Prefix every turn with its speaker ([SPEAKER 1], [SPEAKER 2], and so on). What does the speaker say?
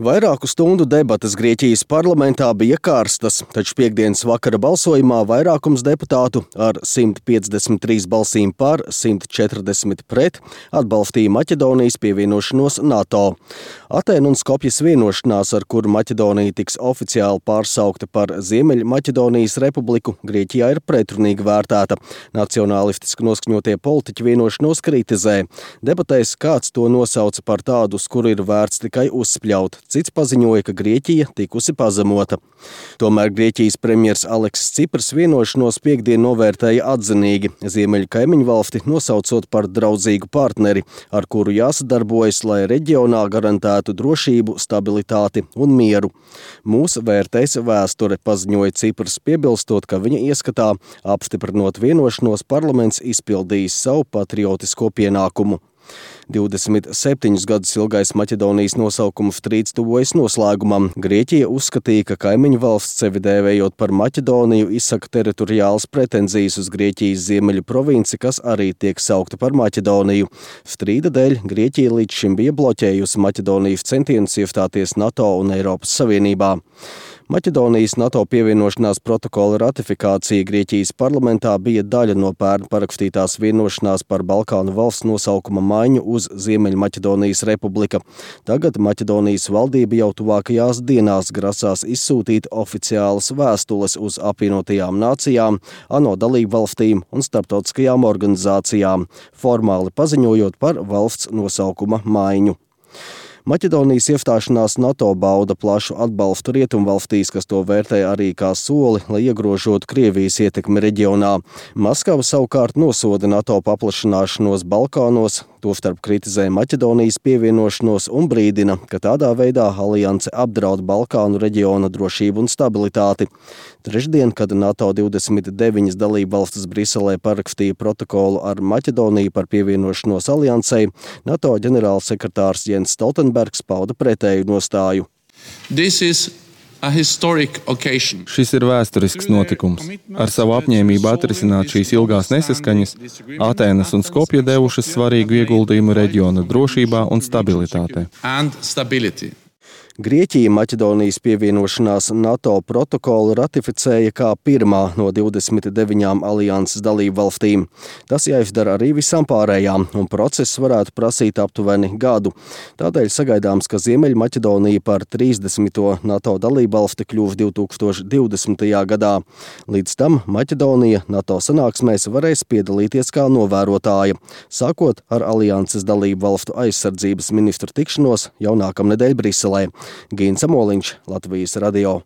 [SPEAKER 1] Vairāku stundu debates Grieķijas parlamentā bija karstas, taču piektdienas vakara balsojumā vairākums deputātu ar 153 balsīm par, 140 pret atbalstīja Maķedonijas pievienošanos NATO. Atēnu un Skopjas vienošanās, ar kuru Maķedonija tiks oficiāli pārsaukta par Ziemeļmaķedonijas republiku, Grieķijā ir pretrunīgi vērtēta. Nacionālistiski noskaņotie politiķi vienošanos kritizē. Debatēs kāds to nosauca par tādu, uz kuru ir vērts tikai uzspļaut. Cits paziņoja, ka Grieķija tikusi pazemota. Tomēr Grieķijas premjers Aleksis Cipras vienošanos piektdien novērtēja atzinīgi, Ziemeļu kaimiņu valsti nosaucot par draudzīgu partneri, ar kuru jāsadarbojas, lai reģionā garantētu drošību, stabilitāti un mieru. Mūs vērtēs vēsture, paziņoja Cipras, piebilstot, ka viņa ieskatā, apstiprinot vienošanos, parlaments izpildījis savu patriotisko pienākumu. 27 gadus ilgais Maķedonijas nosaukuma strīds tuvojas noslēgumam. Grieķija uzskatīja, ka kaimiņu valsts sevi dēvējot par Maķedoniju izsaka teritoriālas pretenzijas uz Grieķijas ziemeļu provinci, kas arī tiek saukta par Maķedoniju. Strīda dēļ Grieķija līdz šim bija bloķējusi Maķedonijas centienus iestāties NATO un Eiropas Savienībā. Maķedonijas NATO pievienošanās protokola ratifikācija Grieķijas parlamentā bija daļa no pērn parakstītās vienošanās par Balkānu valsts nosaukuma maiņu uz Ziemeļmaķedonijas republika. Tagad Maķedonijas valdība jau tuvākajās dienās grasās izsūtīt oficiālas vēstules uz apvienotajām nācijām, ANO dalību valstīm un starptautiskajām organizācijām, formāli paziņojot par valsts nosaukuma maiņu. Maķedonijas iestāšanās NATO bauda plašu atbalstu rietumvalstīs, kas to vērtē arī kā soli, lai iegrožotu Krievijas ietekmi reģionā. Maskava savukārt nosoda NATO paplašināšanos Balkānos, tostarp kritizē Maķedonijas pievienošanos un brīdina, ka tādā veidā alianse apdraud Balkānu reģiona drošību un stabilitāti. Trešdien, kad NATO 29 dalībvalstis Briselē parakstīja protokolu ar Maķedoniju par pievienošanos aliansei, NATO ģenerālsekretārs Jens Stoltenbergs pauda pretēju nostāju.
[SPEAKER 2] Šis ir vēsturisks notikums. Ar savu apņēmību atrisināt šīs ilgās nesaskaņas, Atēnas un Skopja devušas svarīgu ieguldījumu reģiona drošībā un stabilitātē.
[SPEAKER 1] Grieķija Maķedonijas pievienošanās NATO protokolu ratificēja kā pirmā no 29 alianses dalību valstīm. Tas jāizdara arī visām pārējām, un process varētu prasīt aptuveni gadu. Tādēļ sagaidāms, ka Ziemeļmaķedonija par 30. NATO dalību valsti kļūs 2020. gadā. Līdz tam Maķedonija NATO sanāksmēs varēs piedalīties kā novērotāja, sākot ar alianses dalību valstu aizsardzības ministru tikšanos jau nākamnedēļ Briselē. Gīns Amoliņš, Latvijas radio.